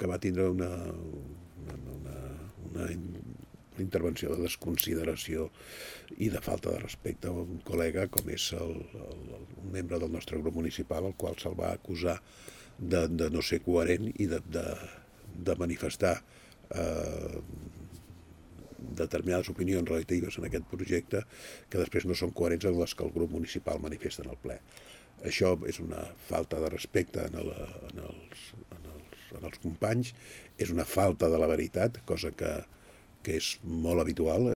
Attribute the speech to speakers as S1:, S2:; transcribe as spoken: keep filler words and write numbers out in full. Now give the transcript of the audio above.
S1: que va tindre una, una, una, una, una intervenció de desconsideració i de falta de respecte a un col·lega com és el, el, un membre del nostre grup municipal, al qual se'l va acusar de, de no ser coherent i de, de, de manifestar eh, determinades opinions relatives en aquest projecte que després no són coherents amb les que el grup municipal manifesta en el ple. Això és una falta de respecte en, el, en, els, en, els, en els companys, és una falta de la veritat, cosa que, que és molt habitual.